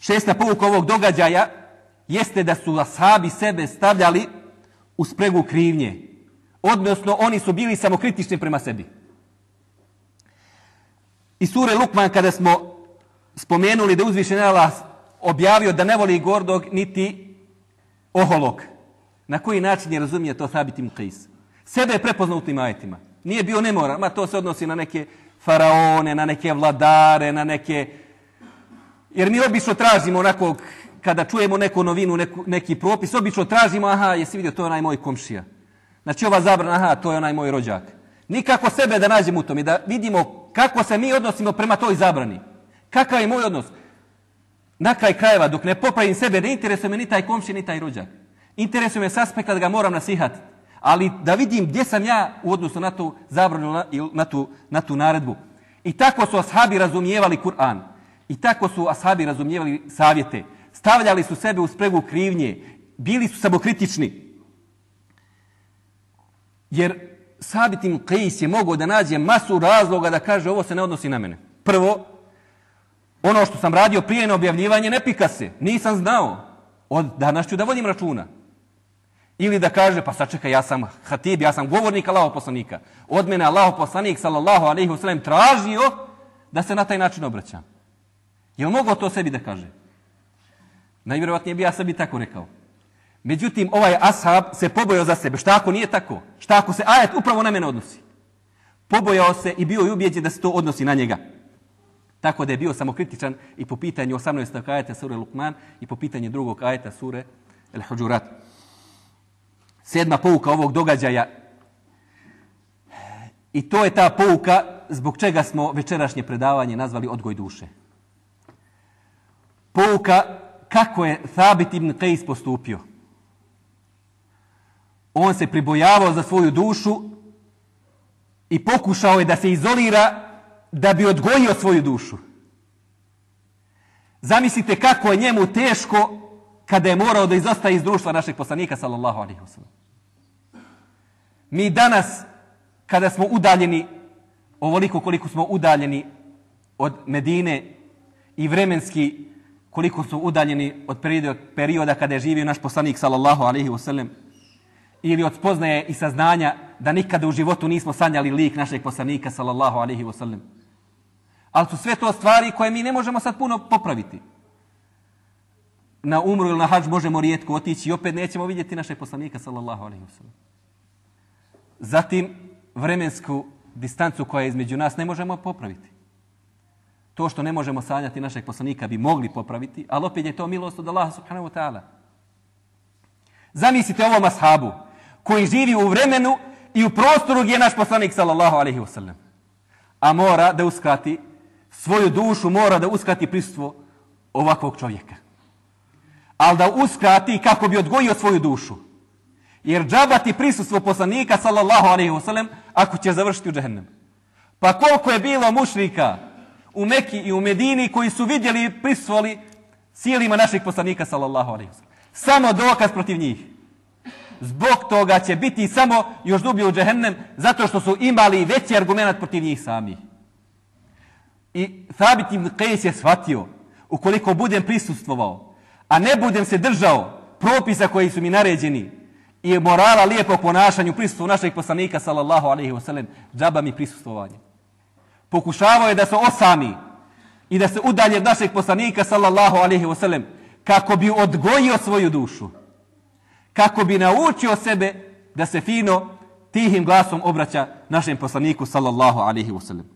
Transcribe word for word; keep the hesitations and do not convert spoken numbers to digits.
Šesta pouka ovog događaja jeste da su ashabi sebe stavljali u spregu krivnje. Odnosno, oni su bili samokritični prema sebi. I sure Lukman, kada smo spomenuli da uzvišeni Allah objavio da ne voli gordog niti oholog, na koji način je razumije to Thabit ibn Qais? Sebe je prepoznao u tim ajetima. Nije bio nemoral, ma to se odnosi na neke faraone, na neke vladare, na neke... Jer mi obično tražimo onako, kada čujemo neku novinu, neku, neki propis, obično tražimo, aha, jesi vidio, to je onaj moj komšija. Znači ova zabrana, aha, to je onaj moj rođak. Nikako sebe da nađemo u tom i da vidimo kako se mi odnosimo prema toj zabrani. Kakav je moj odnos? Na kraj krajeva, dok ne popravim sebe, ne interesuje me ni taj komšija, ni taj rođak. Interesuje me s aspekta da ga moram nasihatiti. Ali da vidim gdje sam ja u odnosu na tu zabranu ili na tu, na tu naredbu. I tako su ashabi razumijevali Kur'an. I tako su ashabi razumijevali savjete. Stavljali su sebe u spregu krivnje. Bili su samokritični. Jer Thabit ibn Qais je mogao da nađe masu razloga da kaže ovo se ne odnosi na mene. Prvo, ono što sam radio prije na objavljivanje ne pika se. Nisam znao. Od danas ću da vodim računa. Ili da kaže, pa sačekaj, ja sam hatib, ja sam govornik Allahov poslanika. Od mene Allahov poslanik, sallallahu alejhi ve sellem, tražio da se na taj način obraćam. Je li mogao to sebi da kaže? Najvjerovatnije bi ja sebi tako rekao. Međutim, ovaj ashab se pobojao za sebe. Šta ako nije tako? Šta ako se ajet upravo na mene odnosi? Pobojao se i bio i ubijeđen da se to odnosi na njega. Tako da je bio samokritičan i po pitanju osamnaestog ajeta sure Lukman i po pitanju drugog ajeta sure El-Huđurat. Sedma pouka ovog događaja. I to je ta pouka zbog čega smo večerašnje predavanje nazvali Odgoj duše. Pouka kako je Thabit ibn Qais postupio. On se pribojavao za svoju dušu i pokušao je da se izolira da bi odgojio svoju dušu. Zamislite kako je njemu teško kada je morao da izostaje iz društva našeg poslanika, sallallahu alejhi ve sellem. Mi danas, kada smo udaljeni, ovoliko koliko smo udaljeni od Medine i vremenski koliko smo udaljeni od perioda kada je živio naš poslanik, sallallahu alejhi ve sellem, ili od spoznaje i saznanja da nikada u životu nismo sanjali lik našeg poslanika, sallallahu alejhi ve sellem. Ali su sve to stvari koje mi ne možemo sad puno popraviti. Na umru ili na hadž možemo rijetko otići i opet nećemo vidjeti našeg poslanika, sallallahu alejhi ve sellem. Zatim, vremensku distancu koja je između nas ne možemo popraviti. To što ne možemo sanjati našeg poslanika bi mogli popraviti, ali opet je to milost od Allaha subhanahu wa ta'ala. Zamislite ovom ashabu koji živi u vremenu i u prostoru gdje je naš poslanik, sallallahu alejhi ve sellem. A mora da uskrati svoju dušu, mora da uskrati prisustvo ovakvog čovjeka. Ali da uskrati kako bi odgojio svoju dušu. Jer džabati prisustvo poslanika, sallallahu alejhi ve sellem, ako će završiti u džehennem. Pa koliko je bilo mušrika u Meki i u Medini koji su vidjeli i prisustvovali sjelima našeg poslanika, sallallahu alejhi ve sellem. Samo dokaz protiv njih. Zbog toga će biti samo još dublje u džehennem, zato što su imali veći argument protiv njih sami. I Thabit ibn Qais je shvatio, ukoliko budem prisustvovao, a ne budem se držao propisa koji su mi naređeni i morala lijepog ponašanju prisustvu našeg poslanika, sallallahu alejhi ve sellem, džaba mi prisustvovanje. Pokušavao je da se osami i da se udalje od našeg poslanika, sallallahu alejhi ve sellem, kako bi odgojio svoju dušu. Kako bi naučio sebe da se fino, tihim glasom obraća našem poslaniku, sallallahu alejhi ve sellem.